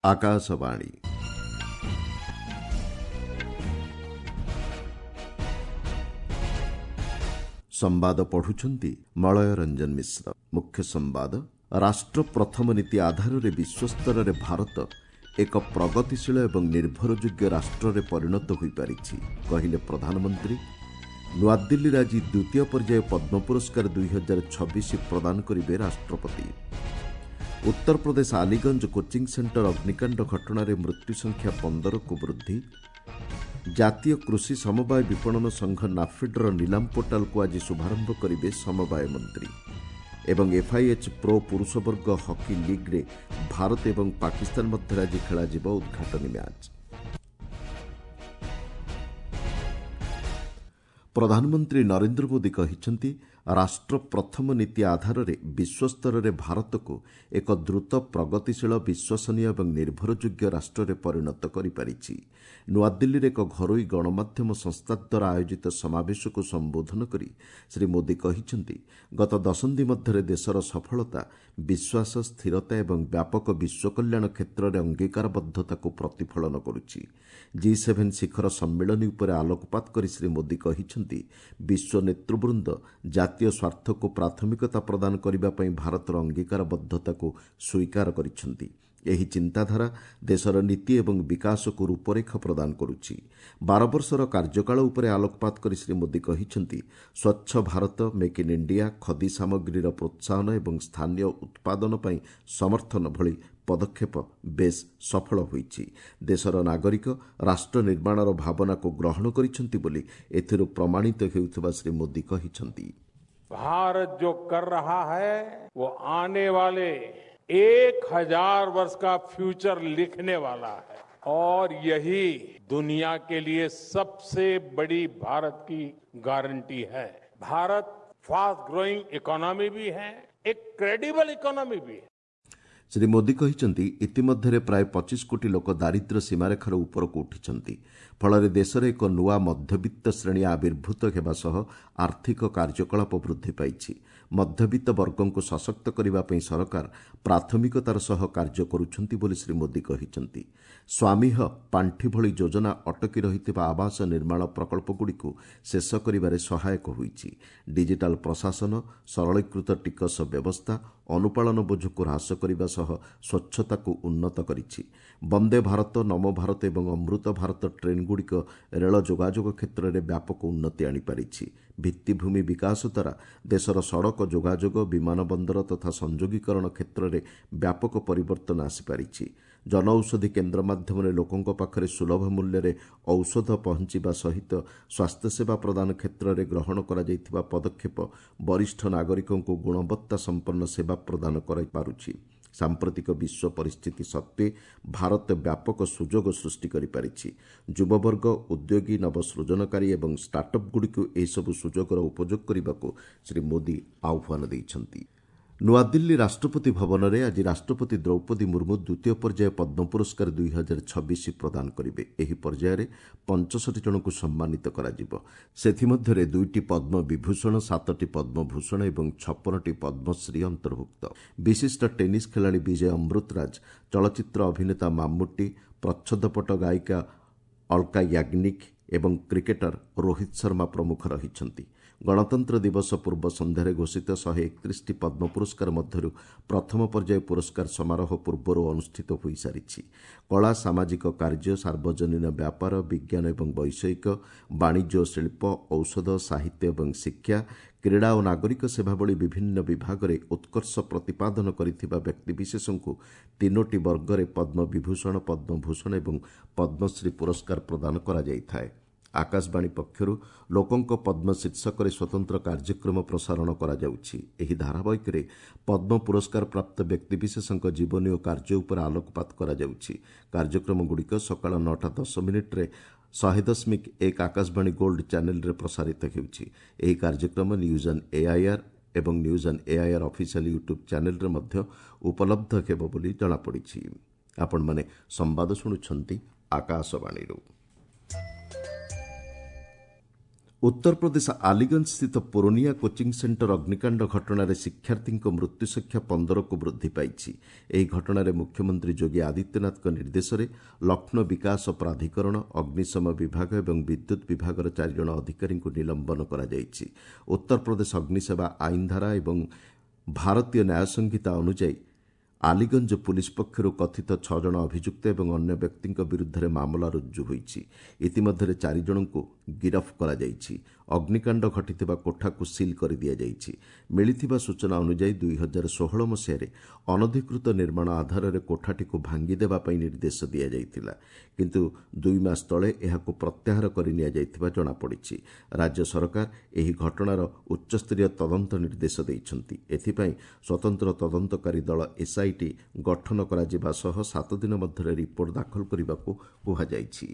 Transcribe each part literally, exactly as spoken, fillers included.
ଆକାଶବାଣୀ ସମ୍ବାଦ ପଢୁଛନ୍ତି ମଳୟ ରଞ୍ଜନ ମିଶ୍ର। ମୁଖ୍ୟ ସମ୍ବାଦ। ରାଷ୍ଟ୍ର ପ୍ରଥମ ନୀତି ଆଧାରରେ ବିଶ୍ୱସ୍ତରରେ ଭାରତ ଏକ ପ୍ରଗତିଶୀଳ ଏବଂ ନିର୍ଭରଯୋଗ୍ୟ ରାଷ୍ଟ୍ରରେ ପରିଣତ ହୋଇପାରିଛି, କହିଲେ ପ୍ରଧାନମନ୍ତ୍ରୀ। ନୂଆଦିଲ୍ଲୀରେ ଆଜି ଦ୍ୱିତୀୟ ପର୍ଯ୍ୟାୟ ପଦ୍ମ ପୁରସ୍କାର ଦୁଇହଜାର ଛବିଶ ପ୍ରଦାନ କରିବେ ରାଷ୍ଟ୍ରପତି। ଉତ୍ତରପ୍ରଦେଶ ଆଲିଗଞ୍ଜ କୋଚିଂ ସେଣ୍ଟର ଅଗ୍ନିକାଣ୍ଡ ଘଟଣାରେ ମୃତ୍ୟୁ ସଂଖ୍ୟା ପନ୍ଦରକୁ ବୃଦ୍ଧି। ଜାତୀୟ କୃଷି ସମବାୟ ବିପଣନ ସଂଘ ନାଫେଡ୍ର ନିଲାମ ପୋର୍ଟାଲକୁ ଆଜି ଶୁଭାରମ୍ଭ କରିବେ ସମବାୟ ମନ୍ତ୍ରୀ। ଏବଂ ଏଫ୍ଆଇଏଚ୍ ପ୍ରୋ ପୁରୁଷ ବର୍ଗ ହକି ଲିଗ୍ରେ ଭାରତ ଏବଂ ପାକିସ୍ତାନ ମଧ୍ୟରେ ଆଜି ଖେଳାଯିବ ଉଦ୍ଘାଟନୀ ମ୍ୟାଚ୍। ପ୍ରଧାନମନ୍ତ୍ରୀ ନରେନ୍ଦ୍ର ମୋଦି କହିଛନ୍ତି, ରାଷ୍ଟ୍ର ପ୍ରଥମ ନୀତି ଆଧାରରେ ବିଶ୍ୱସ୍ତରରେ ଭାରତକୁ ଏକ ଦ୍ରୁତ ପ୍ରଗତିଶୀଳ, ବିଶ୍ୱସନୀୟ ଏବଂ ନିର୍ଭରଯୋଗ୍ୟ ରାଷ୍ଟ୍ରରେ ପରିଣତ କରିପାରିଛି। ନୂଆଦିଲ୍ଲୀରେ ଏକ ଘରୋଇ ଗଣମାଧ୍ୟମ ସଂସ୍ଥା ଦ୍ୱାରା ଆୟୋଜିତ ସମାବେଶକୁ ସମ୍ବୋଧନ କରି ଶ୍ରୀ ମୋଦି କହିଛନ୍ତି, ଗତ ଦଶନ୍ଧି ମଧ୍ୟରେ ଦେଶର ସଫଳତା ବିଶ୍ୱାସ, ସ୍ଥିରତା ଏବଂ ବ୍ୟାପକ ବିଶ୍ୱ କଲ୍ୟାଣ କ୍ଷେତ୍ରରେ ଅଙ୍ଗୀକାରବଦ୍ଧତାକୁ ପ୍ରତିଫଳନ କରୁଛି। ଜି ସେଭେନ୍ ଶିଖର ସମ୍ମିଳନୀ ଉପରେ ଆଲୋକପାତ କରି ଶ୍ରୀ ମୋଦି କହିଛନ୍ତି, ବିଶ୍ୱ ନେତୃବୃନ୍ଦ ଜାତୀୟ ସ୍ୱାର୍ଥକୁ ପ୍ରାଥମିକତା ପ୍ରଦାନ କରିବା ପାଇଁ ଭାରତର ଅଙ୍ଗୀକାରବଦ୍ଧତାକୁ ସ୍ୱୀକାର କରିଛନ୍ତି। ଏହି ଚିନ୍ତାଧାରା ଦେଶର ନୀତି ଏବଂ ବିକାଶକୁ ରୂପରେଖ ପ୍ରଦାନ କରୁଛି। ବାର ବର୍ଷର କାର୍ଯ୍ୟକାଳ ଉପରେ ଆଲୋକପାତ କରି ଶ୍ରୀ ମୋଦି କହିଛନ୍ତି, ସ୍ୱଚ୍ଛ ଭାରତ, ମେକ୍ ଇନ୍ ଇଣ୍ଡିଆ, ଖଦି ସାମଗ୍ରୀର ପ୍ରୋତ୍ସାହନ ଏବଂ ସ୍ଥାନୀୟ ଉତ୍ପାଦନ ପାଇଁ ସମର୍ଥନ ଭଳି ପଦକ୍ଷେପ ବେଶ୍ ସଫଳ ହୋଇଛି। ଦେଶର ନାଗରିକ ରାଷ୍ଟ୍ର ନିର୍ମାଣର ଭାବନାକୁ ଗ୍ରହଣ କରିଛନ୍ତି ବୋଲି ଏଥିରୁ ପ୍ରମାଣିତ ହେଉଥିବା ଶ୍ରୀ ମୋଦି କହିଛନ୍ତି। भारत जो कर रहा है वो आने वाले एक हजार वर्ष का फ्यूचर लिखने वाला है और यही दुनिया के लिए सबसे बड़ी भारत की गारंटी है। भारत फास्ट ग्रोइंग इकोनॉमी भी है, एक क्रेडिबल इकोनॉमी भी है। ଶ୍ରୀ ମୋଦି କହିଛନ୍ତି, ଇତିମଧ୍ୟରେ ପ୍ରାୟ ପଚିଶ କୋଟି ଲୋକ ଦାରିଦ୍ର୍ୟ ସୀମାରେଖାର ଉପରକୁ ଉଠିଛନ୍ତି। ଫଳରେ ଦେଶରେ ଏକ ନୂଆ ମଧ୍ୟବିତ୍ତ ଶ୍ରେଣୀ ଆବିର୍ଭୂତ ହେବା ସହ ଆର୍ଥିକ କାର୍ଯ୍ୟକଳାପ ବୃଦ୍ଧି ପାଇଛି। ମଧ୍ୟବିତ୍ତ ବର୍ଗଙ୍କୁ ସଶକ୍ତ କରିବା ପାଇଁ ସରକାର ପ୍ରାଥମିକତାର ସହ କାର୍ଯ୍ୟ କରୁଛନ୍ତି ବୋଲି ଶ୍ରୀ ମୋଦି କହିଛନ୍ତି। ସ୍ୱାମୀହ ପାଣ୍ଠି ଭଳି ଯୋଜନା ଅଟକି ରହିଥିବା ଆବାସ ନିର୍ମାଣ ପ୍ରକଳ୍ପଗୁଡ଼ିକୁ ଶେଷ କରିବାରେ ସହାୟକ ହୋଇଛି। ଡିଜିଟାଲ ପ୍ରଶାସନ, ସରଳୀକୃତ ଟିକସ ବ୍ୟବସ୍ଥା ଅନୁପାଳନ ବୋଝକୁ ହ୍ରାସ କରିବା ସହ ସ୍ୱଚ୍ଛତାକୁ ଉନ୍ନତ କରିଛି। ବନ୍ଦେ ଭାରତ, ନମୋ ଭାରତ ଏବଂ ଅମୃତ ଭାରତ ଟ୍ରେନ୍ଗୁଡ଼ିକ ରେଳ ଯୋଗାଯୋଗ କ୍ଷେତ୍ରରେ ବ୍ୟାପକ ଉନ୍ନତି ଆଣିପାରିଛି। ଭିତ୍ତିଭୂମି ବିକାଶ ଦ୍ୱାରା ଦେଶର ସଡ଼କ ଯୋଗାଯୋଗ, ବିମାନ ବନ୍ଦର ତଥା ସଂଯୋଗୀକରଣ କ୍ଷେତ୍ରରେ ବ୍ୟାପକ ପରିବର୍ତ୍ତନ ଆସିପାରିଛି। ଜନଔଷଧି କେନ୍ଦ୍ର ମାଧ୍ୟମରେ ଲୋକଙ୍କ ପାଖରେ ସୁଲଭ ମୂଲ୍ୟରେ ଔଷଧ ପହଞ୍ଚିବା ସହିତ ସ୍ୱାସ୍ଥ୍ୟସେବା ପ୍ରଦାନ କ୍ଷେତ୍ରରେ ଗ୍ରହଣ କରାଯାଇଥିବା ପଦକ୍ଷେପ ବରିଷ୍ଠ ନାଗରିକଙ୍କୁ ଗୁଣବତ୍ତା ସମ୍ପନ୍ନ ସେବା ପ୍ରଦାନ କରିପାରୁଛି। ସାମ୍ପ୍ରତିକ ବିଶ୍ୱ ପରିସ୍ଥିତି ସତ୍ତ୍ୱେ ଭାରତ ବ୍ୟାପକ ସୁଯୋଗ ସୃଷ୍ଟି କରିପାରିଛି। ଯୁବବର୍ଗ, ଉଦ୍ୟୋଗୀ, ନବସୃଜନକାରୀ ଏବଂ ଷ୍ଟାର୍ଟଅପ୍ଗୁଡ଼ିକୁ ଏହିସବୁ ସୁଯୋଗର ଉପଯୋଗ କରିବାକୁ ଶ୍ରୀ ମୋଦି ଆହ୍ୱାନ ଦେଇଛନ୍ତି। ନୂଆଦିଲ୍ଲୀ ରାଷ୍ଟ୍ରପତି ଭବନରେ ଆଜି ରାଷ୍ଟ୍ରପତି ଦ୍ରୌପଦୀ ମୁର୍ମୁ ଦ୍ୱିତୀୟ ପର୍ଯ୍ୟାୟ ପଦ୍ମ ପୁରସ୍କାର ଦୁଇହଜାର ଛବିଶ ପ୍ରଦାନ କରିବେ। ଏହି ପର୍ଯ୍ୟାୟରେ ପଞ୍ଚଷଠି ଜଣଙ୍କୁ ସମ୍ମାନିତ କରାଯିବ। ସେଥିମଧ୍ୟରେ ଦୁଇଟି ପଦ୍ମ ବିଭୂଷଣ, ସାତଟି ପଦ୍ମଭୂଷଣ ଏବଂ ଛପନଟି ପଦ୍ମଶ୍ରୀ ଅନ୍ତର୍ଭୁକ୍ତ। ବିଶିଷ୍ଟ ଟେନିସ୍ ଖେଳାଳି ବିଜୟ ଅମୃତରାଜ, ଚଳଚ୍ଚିତ୍ର ଅଭିନେତା ମାମ୍ମୁଟି, ପ୍ରଚ୍ଛଦପଟ ଗାୟିକା ଅଲ୍କା ୟାଗ୍ନିକ୍ ଏବଂ କ୍ରିକେଟର ରୋହିତ ଶର୍ମା ପ୍ରମୁଖ ରହିଛନ୍ତି। ଗଣତନ୍ତ୍ର ଦିବସ ପୂର୍ବ ସନ୍ଧ୍ୟାରେ ଘୋଷିତ ଶହେ ଏକତିରିଶଟି ପଦ୍ମ ପୁରସ୍କାର ମଧ୍ୟରୁ ପ୍ରଥମ ପର୍ଯ୍ୟାୟ ପୁରସ୍କାର ସମାରୋହ ପୂର୍ବରୁ ଅନୁଷ୍ଠିତ ହୋଇସାରିଛି। କଳା, ସାମାଜିକ କାର୍ଯ୍ୟ, ସାର୍ବଜନୀନ ବ୍ୟାପାର, ବିଜ୍ଞାନ ଏବଂ ବୈଷୟିକ, ବାଣିଜ୍ୟ ଓ ଶିଳ୍ପ, ଔଷଧ, ସାହିତ୍ୟ ଏବଂ ଶିକ୍ଷା, କ୍ରୀଡ଼ା ଓ ନାଗରିକ ସେବା ଭଳି ବିଭିନ୍ନ ବିଭାଗରେ ଉତ୍କର୍ଷ ପ୍ରତିପାଦନ କରିଥିବା ବ୍ୟକ୍ତିବିଶେଷଙ୍କୁ ତିନୋଟି ବର୍ଗରେ ପଦ୍ମ ବିଭୂଷଣ, ପଦ୍ମଭୂଷଣ ଏବଂ ପଦ୍ମଶ୍ରୀ ପୁରସ୍କାର ପ୍ରଦାନ କରାଯାଇଥାଏ। ଆକାଶବାଣୀ ପକ୍ଷରୁ ଲୋକଙ୍କ ପଦ୍ମ ଶୀର୍ଷକରେ ସ୍ୱତନ୍ତ୍ର କାର୍ଯ୍ୟକ୍ରମ ପ୍ରସାରଣ କରାଯାଉଛି। ଏହି ଧାରାବାହିକରେ ପଦ୍ମ ପୁରସ୍କାର ପ୍ରାପ୍ତ ବ୍ୟକ୍ତିବିଶେଷଙ୍କ ଜୀବନୀ ଓ କାର୍ଯ୍ୟ ଉପରେ ଆଲୋକପାତ କରାଯାଉଛି। କାର୍ଯ୍ୟକ୍ରମଗୁଡ଼ିକ ସକାଳ ନଅଟା ଦଶ ମିନିଟ୍ରେ ଶହେ ଦଶମିକ ଏକ ଆକାଶବାଣୀ ଗୋଲ୍ଡ ଚ୍ୟାନେଲରେ ପ୍ରସାରିତ ହେଉଛି। ଏହି କାର୍ଯ୍ୟକ୍ରମ ନ୍ୟୁଜ୍ ଅନ୍ ଏଆଇଆର୍ ଏବଂ news on AIR official YouTube ଚ୍ୟାନେଲରେ ମଧ୍ୟ ଉପଲବ୍ଧ ହେବ ବୋଲି ଜଣାପଡ଼ିଛି। ଆପଣମାନେ ସମ୍ବାଦ ଶୁଣୁଛନ୍ତି ଆକାଶବାଣୀରୁ। ଉତ୍ତରପ୍ରଦେଶ ଆଲିଗଞ୍ଜ ସ୍ଥିତ ପୁରୋନିଆ କୋଚିଂ ସେଣ୍ଟର ଅଗ୍ନିକାଣ୍ଡ ଘଟଣାରେ ଶିକ୍ଷାର୍ଥୀଙ୍କ ମୃତ୍ୟୁ ସଂଖ୍ୟା ପନ୍ଦରକୁ ବୃଦ୍ଧି ପାଇଛି। ଏହି ଘଟଣାରେ ମୁଖ୍ୟମନ୍ତ୍ରୀ ଯୋଗୀ ଆଦିତ୍ୟନାଥଙ୍କ ନିର୍ଦ୍ଦେଶରେ ଲକ୍ଷ୍ନୌ ବିକାଶ ପ୍ରାଧିକରଣ, ଅଗ୍ନିଶମ ବିଭାଗ ଏବଂ ବିଦ୍ୟୁତ୍ ବିଭାଗର ଚାରିଜଣ ଅଧିକାରୀଙ୍କୁ ନିଲମ୍ବନ କରାଯାଇଛି। ଉତ୍ତରପ୍ରଦେଶ ଅଗ୍ନିସେବା ଆଇନ ଧାରା ଏବଂ ଭାରତୀୟ ନ୍ୟାୟ ସଂହିତା ଅନୁଯାୟୀ ଆଲିଗଞ୍ଜ ପୁଲିସ୍ ପକ୍ଷରୁ କଥିତ ଛଅ ଜଣ ଅଭିଯୁକ୍ତ ଏବଂ ଅନ୍ୟ ବ୍ୟକ୍ତିଙ୍କ ବିରୁଦ୍ଧରେ ମାମଲା ରୁଜୁ ହୋଇଛି। ଇତିମଧ୍ୟରେ ଚାରି ଜଣଙ୍କୁ ଗିରଫ କରାଯାଇଛି। ଅଗ୍ନିକାଣ୍ଡ ଘଟିଥିବା କୋଠାକୁ ସିଲ୍ କରିଦିଆଯାଇଛି। ମିଳିଥିବା ସୂଚନା ଅନୁଯାୟୀ ଦୁଇ ହଜାର ଷୋହଳ ମସିହାରେ ଅନଧିକୃତ ନିର୍ମାଣ ଆଧାରରେ କୋଠାଟିକୁ ଭାଙ୍ଗିଦେବା ପାଇଁ ନିର୍ଦ୍ଦେଶ ଦିଆଯାଇଥିଲା, କିନ୍ତୁ ଦୁଇ ମାସ ତଳେ ଏହାକୁ ପ୍ରତ୍ୟାହାର କରି ନିଆଯାଇଥିବା ଜଣାପଡ଼ିଛି। ରାଜ୍ୟ ସରକାର ଏହି ଘଟଣାର ଉଚ୍ଚସ୍ତରୀୟ ତଦନ୍ତ ନିର୍ଦ୍ଦେଶ ଦେଇଛନ୍ତି। ଏଥିପାଇଁ ସ୍ୱତନ୍ତ୍ର ତଦନ୍ତକାରୀ ଦଳ ଏସ୍ଆଇଟି ଗଠନ କରାଯିବା ସହ ସାତ ଦିନ ମଧ୍ୟରେ ରିପୋର୍ଟ ଦାଖଲ କରିବାକୁ କୁହାଯାଇଛି।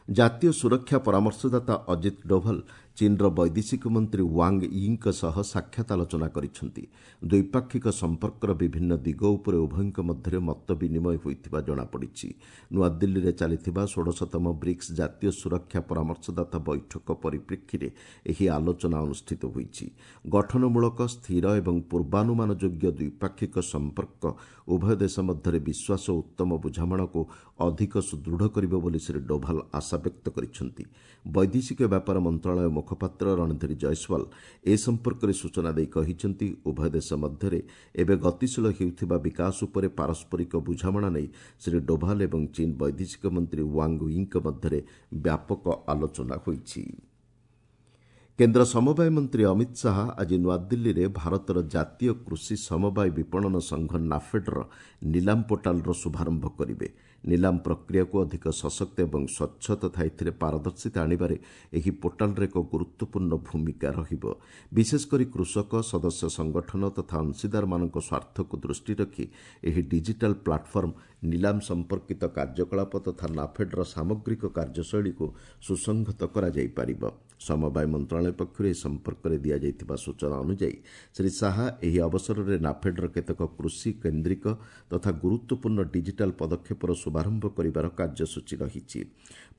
ଜାତୀୟ ସୁରକ୍ଷା ପରାମର୍ଶଦାତା ଅଜିତ ଡୋଭାଲ ଚୀନ୍ର ବୈଦେଶିକ ମନ୍ତ୍ରୀ ୱାଙ୍ଗ ୟିଙ୍କ ସହ ସାକ୍ଷାତ ଆଲୋଚନା କରିଛନ୍ତି। ଦ୍ୱିପାକ୍ଷିକ ସମ୍ପର୍କର ବିଭିନ୍ନ ଦିଗ ଉପରେ ଉଭୟଙ୍କ ମଧ୍ୟରେ ମତ ବିନିମୟ ହୋଇଥିବା ଜଣାପଡ଼ିଛି। ନୂଆଦିଲ୍ଲୀରେ ଚାଲିଥିବା ଷୋଡ଼ଶତମ ବ୍ରିକ୍ସ ଜାତୀୟ ସୁରକ୍ଷା ପରାମର୍ଶଦାତା ବୈଠକ ପରିପ୍ରେକ୍ଷୀରେ ଏହି ଆଲୋଚନା ଅନୁଷ୍ଠିତ ହୋଇଛି। ଗଠନମୂଳକ, ସ୍ଥିର ଏବଂ ପୂର୍ବାନୁମାନ ଯୋଗ୍ୟ ଦ୍ୱିପାକ୍ଷିକ ସମ୍ପର୍କ ଉଭୟ ଦେଶ ମଧ୍ୟରେ ବିଶ୍ୱାସ ଓ ଉତ୍ତମ ବୁଝାମଣାକୁ ଅଧିକ ସୁଦୃଢ଼ କରିବ ବୋଲି ଶ୍ରୀ ଡୋଭାଲ ଆଶା ବ୍ୟକ୍ତ କରିଛନ୍ତି। ବୈଦେଶିକ ବ୍ୟାପାର ମନ୍ତ୍ରଣାଳୟ ମୁଖପାତ୍ର ରଣଧୀର ଜୟସ୍ୱାଲ ଏ ସମ୍ପର୍କରେ ସୂଚନା ଦେଇ କହିଛନ୍ତି, ଉଭୟ ଦେଶ ମଧ୍ୟରେ ଏବେ ଗତିଶୀଳ ହେଉଥିବା ବିକାଶ ଉପରେ ପାରସ୍ପରିକ ବୁଝାମଣା ନେଇ ଶ୍ରୀ ଡୋଭାଲ ଏବଂ ଚୀନ୍ ବୈଦେଶିକ ମନ୍ତ୍ରୀ ୱାଙ୍ଗ ୟିଙ୍କ ମଧ୍ୟରେ ବ୍ୟାପକ ଆଲୋଚନା ହୋଇଛି। କେନ୍ଦ୍ର ସମବାୟ ମନ୍ତ୍ରୀ ଅମିତ ଶାହା ଆଜି ନୂଆଦିଲ୍ଲୀରେ ଭାରତର ଜାତୀୟ କୃଷି ସମବାୟ ବିପଣନ ସଂଘ ନାଫେଡ୍ର ନିଲାମ ପୋର୍ଟାଲର ଶୁଭାରମ୍ଭ କରିବେ। ନିଲାମ ପ୍ରକ୍ରିୟାକୁ ଅଧିକ ସଶକ୍ତ ଏବଂ ସ୍ୱଚ୍ଛ ତଥା ଏଥିରେ ପାରଦର୍ଶିତା ଆଣିବାରେ ଏହି ପୋର୍ଟାଲର ଏକ ଗୁରୁତ୍ୱପୂର୍ଣ୍ଣ ଭୂମିକା ରହିବ। ବିଶେଷକରି କୃଷକ, ସଦସ୍ୟ ସଂଗଠନ ତଥା ଅଂଶୀଦାରମାନଙ୍କ ସ୍ୱାର୍ଥକୁ ଦୃଷ୍ଟି ରଖି ଏହି ଡିଜିଟାଲ ପ୍ଲାଟଫର୍ମ ନିଲାମ ସମ୍ପର୍କିତ କାର୍ଯ୍ୟକଳାପ ତଥା ନାଫେଡ୍ର ସାମଗ୍ରିକ କାର୍ଯ୍ୟଶୈଳୀକୁ ସୁସଂହତ କରାଯାଇପାରିବ। ସମବାୟ ମନ୍ତ୍ରଣାଳୟ ପକ୍ଷରୁ ଏ ସମ୍ପର୍କରେ ଦିଆଯାଇଥିବା ସୂଚନା ଅନୁଯାୟୀ ଶ୍ରୀ ଶାହା ଏହି ଅବସରରେ ନାଫେଡ୍ର କେତେକ କୃଷି କେନ୍ଦ୍ରିକ ତଥା ଗୁରୁତ୍ୱପୂର୍ଣ୍ଣ ଡିଜିଟାଲ ପଦକ୍ଷେପର ଶୁଭାରମ୍ଭ କରିବାର କାର୍ଯ୍ୟସୂଚୀ ରହିଛି।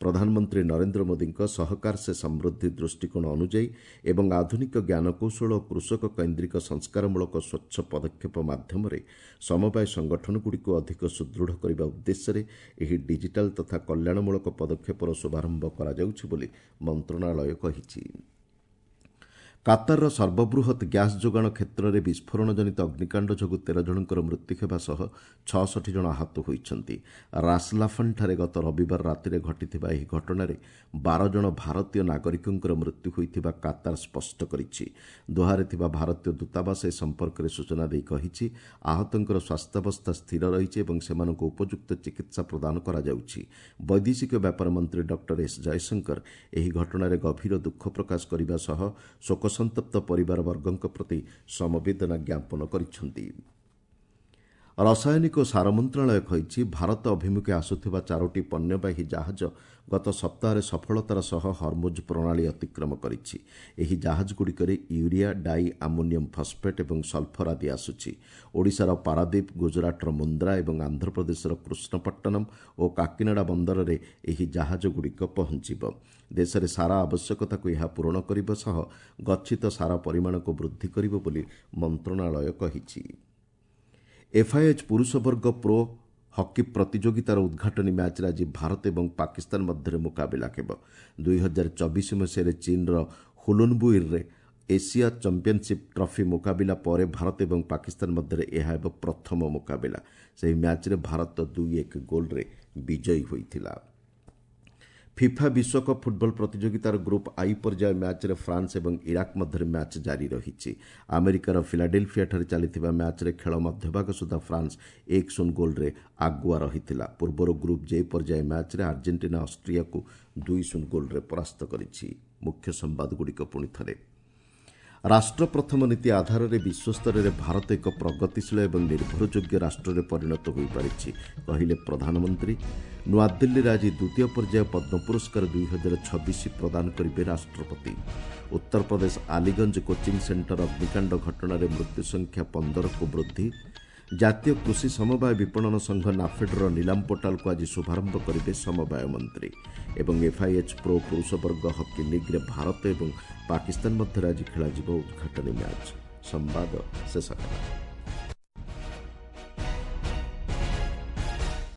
ପ୍ରଧାନମନ୍ତ୍ରୀ ନରେନ୍ଦ୍ର ମୋଦିଙ୍କ ସହକାର ସେ ସମୃଦ୍ଧି ଦୃଷ୍ଟିକୋଣ ଅନୁଯାୟୀ ଏବଂ ଆଧୁନିକ ଜ୍ଞାନକୌଶଳ ଓ କୃଷକ କେନ୍ଦ୍ରିକ ସଂସ୍କାରମୂଳକ ସ୍ୱଚ୍ଛ ପଦକ୍ଷେପ ମାଧ୍ୟମରେ ସମବାୟ ସଂଗଠନଗୁଡ଼ିକୁ ଅଧିକ ସୁଦୃଢ଼ କରିବା ଉଦ୍ଦେଶ୍ୟରେ ଏହି ଡିଜିଟାଲ ତଥା କଲ୍ୟାଣମୂଳକ ପଦକ୍ଷେପର ଶୁଭାରମ୍ଭ କରାଯାଉଛି ବୋଲି ମନ୍ତ୍ରଣାଳୟ କହିଛି। କାତାରର ସର୍ବବୃହତ୍ ଗ୍ୟାସ୍ ଯୋଗାଣ କ୍ଷେତ୍ରରେ ବିସ୍ଫୋରଣ ଜନିତ ଅଗ୍ନିକାଣ୍ଡ ଯୋଗୁଁ ତେର ଜଣଙ୍କର ମୃତ୍ୟୁ ହେବା ସହ ଛଅଷଠି ଜଣ ଆହତ ହୋଇଛନ୍ତି। ରାସଲାଫନ୍ଠାରେ ଗତ ରବିବାର ରାତିରେ ଘଟିଥିବା ଏହି ଘଟଣାରେ ବାର ଜଣ ଭାରତୀୟ ନାଗରିକଙ୍କର ମୃତ୍ୟୁ ହୋଇଥିବା କାତାର ସ୍ପଷ୍ଟ କରିଛି। ଦୋହାରେ ଥିବା ଭାରତୀୟ ଦୂତାବାସ ଏ ସମ୍ପର୍କରେ ସୂଚନା ଦେଇ କହିଛି, ଆହତଙ୍କର ସ୍ୱାସ୍ଥ୍ୟାବସ୍ଥା ସ୍ଥିର ରହିଛି ଏବଂ ସେମାନଙ୍କୁ ଉପଯୁକ୍ତ ଚିକିତ୍ସା ପ୍ରଦାନ କରାଯାଉଛି। ବୈଦେଶିକ ବ୍ୟାପାର ମନ୍ତ୍ରୀ ଡକ୍ଟର ଏସ୍ ଜୟଶଙ୍କର ଏହି ଘଟଣାରେ ଗଭୀର ଦୁଃଖ ପ୍ରକାଶ କରିବା ସହ ଶୋକ ସନ୍ତପ୍ତ ପରିବାରବର୍ଗଙ୍କ ପ୍ରତି ସମବେଦନା ଜ୍ଞାପନ କରିଛନ୍ତି। ରାସାୟନିକ ଓ ସାର ମନ୍ତ୍ରଣାଳୟ କହିଛି, ଭାରତ ଅଭିମୁଖେ ଆସୁଥିବା ଚାରୋଟି ପଣ୍ୟବାହୀ ଜାହାଜ ଗତ ସପ୍ତାହରେ ସଫଳତାର ସହ ହରମୁଜ ପ୍ରଣାଳୀ ଅତିକ୍ରମ କରିଛି। ଏହି ଜାହାଜଗୁଡ଼ିକରେ ୟୁରିଆ, ଡାଇ ଆମୋନିୟମ୍ ଫସ୍ଫେଟ୍ ଏବଂ ସଲଫର ଆଦି ଆସୁଛି। ଓଡ଼ିଶାର ପାରାଦୀପ, ଗୁଜରାଟର ମୁନ୍ଦ୍ରା ଏବଂ ଆନ୍ଧ୍ରପ୍ରଦେଶର କୃଷ୍ଣପଟ୍ଟନମ୍ ଓ କାକିନାଡ଼ା ବନ୍ଦରରେ ଏହି ଜାହାଜଗୁଡ଼ିକ ପହଞ୍ଚିବ। ଦେଶରେ ସାର ଆବଶ୍ୟକତାକୁ ଏହା ପୂରଣ କରିବା ସହ ଗଚ୍ଛିତ ସାର ପରିମାଣକୁ ବୃଦ୍ଧି କରିବ ବୋଲି ମନ୍ତ୍ରଣାଳୟ କହିଛି। ଏଫ୍ଆଇଏଚ୍ ପୁରୁଷ ବର୍ଗ ପ୍ରୋ ହକି ପ୍ରତିଯୋଗିତାର ଉଦ୍ଘାଟନୀ ମ୍ୟାଚ୍ରେ ଆଜି ଭାରତ ଏବଂ ପାକିସ୍ତାନ ମଧ୍ୟରେ ମୁକାବିଲା ହେବ। ଦୁଇ ହଜାର ଚବିଶ ମସିହାରେ ଚୀନ୍ର ହୁଲୁନବୁଇରରେ ଏସିଆ ଚାମ୍ପିୟନସିପ୍ ଟ୍ରଫି ମୁକାବିଲା ପରେ ଭାରତ ଏବଂ ପାକିସ୍ତାନ ମଧ୍ୟରେ ଏହା ହେବ ପ୍ରଥମ ମୁକାବିଲା। ସେହି ମ୍ୟାଚ୍ରେ ଭାରତ ଦୁଇ ଏକ ଗୋଲ୍ରେ ବିଜୟୀ ହୋଇଥିଲା। ଫିଫା ବିଶ୍ୱକପ୍ ଫୁଟବଲ ପ୍ରତିଯୋଗିତାର ଗ୍ରୁପ୍ I ପର୍ଯ୍ୟାୟ ମ୍ୟାଚ୍ରେ ଫ୍ରାନ୍ସ ଏବଂ ଇରାକ ମଧ୍ୟରେ ମ୍ୟାଚ୍ ଜାରି ରହିଛି। ଆମେରିକାର ଫିଲାଡେଲଫିଆଠାରେ ଚାଲିଥିବା ମ୍ୟାଚ୍ରେ ଖେଳ ମଧ୍ୟଭାଗ ସୁଦ୍ଧା ଫ୍ରାନ୍ସ ଏକ ଶୂନ ଗୋଲ୍ରେ ଆଗୁଆ ରହିଥିଲା। ପୂର୍ବରୁ ଗ୍ରୁପ୍ ଜେ ପର୍ଯ୍ୟାୟ ମ୍ୟାଚ୍ରେ ଆର୍ଜେଣ୍ଟିନା ଅଷ୍ଟ୍ରିଆକୁ ଦୁଇ ଶୂନ ଗୋଲ୍ରେ ପରାସ୍ତ କରିଛି। ମୁଖ୍ୟ ସମ୍ବାଦଗୁଡ଼ିକ ପୁଣି ଥରେ। ରାଷ୍ଟ୍ର ପ୍ରଥମ ନୀତି ଆଧାରରେ ବିଶ୍ୱସ୍ତରରେ ଭାରତ ଏକ ପ୍ରଗତିଶୀଳ ଏବଂ ନିର୍ଭରଯୋଗ୍ୟ ରାଷ୍ଟ୍ରରେ ପରିଣତ ହୋଇପାରିଛି, କହିଲେ ପ୍ରଧାନମନ୍ତ୍ରୀ। ନୂଆଦିଲ୍ଲୀରେ ଆଜି ଦ୍ୱିତୀୟ ପର୍ଯ୍ୟାୟ ପଦ୍ମ ପୁରସ୍କାର ଦୁଇ ହଜାର ଛବିଶ ପ୍ରଦାନ କରିବେ ରାଷ୍ଟ୍ରପତି। ଉତ୍ତରପ୍ରଦେଶ ଆଲିଗଞ୍ଜ କୋଚିଂ ସେଣ୍ଟର ଅଗ୍ନିକାଣ୍ଡ ଘଟଣାରେ ମୃତ୍ୟୁ ସଂଖ୍ୟା ପନ୍ଦରକୁ ବୃଦ୍ଧି। ଜାତୀୟ କୃଷି ସମବାୟ ବିପଣନ ସଂଘ ନାଫେଡ୍ର ନିଲାମ ପୋର୍ଟାଲକୁ ଆଜି ଶୁଭାରମ୍ଭ କରିବେ ସମବାୟ ମନ୍ତ୍ରୀ। ଏବଂ ଏଫ୍ଆଇଏଚ୍ ପ୍ରୋ ପୁରୁଷ ବର୍ଗ ହକି ଲିଗ୍ରେ ଭାରତ ଏବଂ ପାକିସ୍ତାନ ମଧ୍ୟରେ ଆଜି ଖେଳାଯିବ ଉଦ୍ଘାଟନୀ ମ୍ୟାଚ୍। ସମ୍ବାଦ ଶେଷ ହେଲା।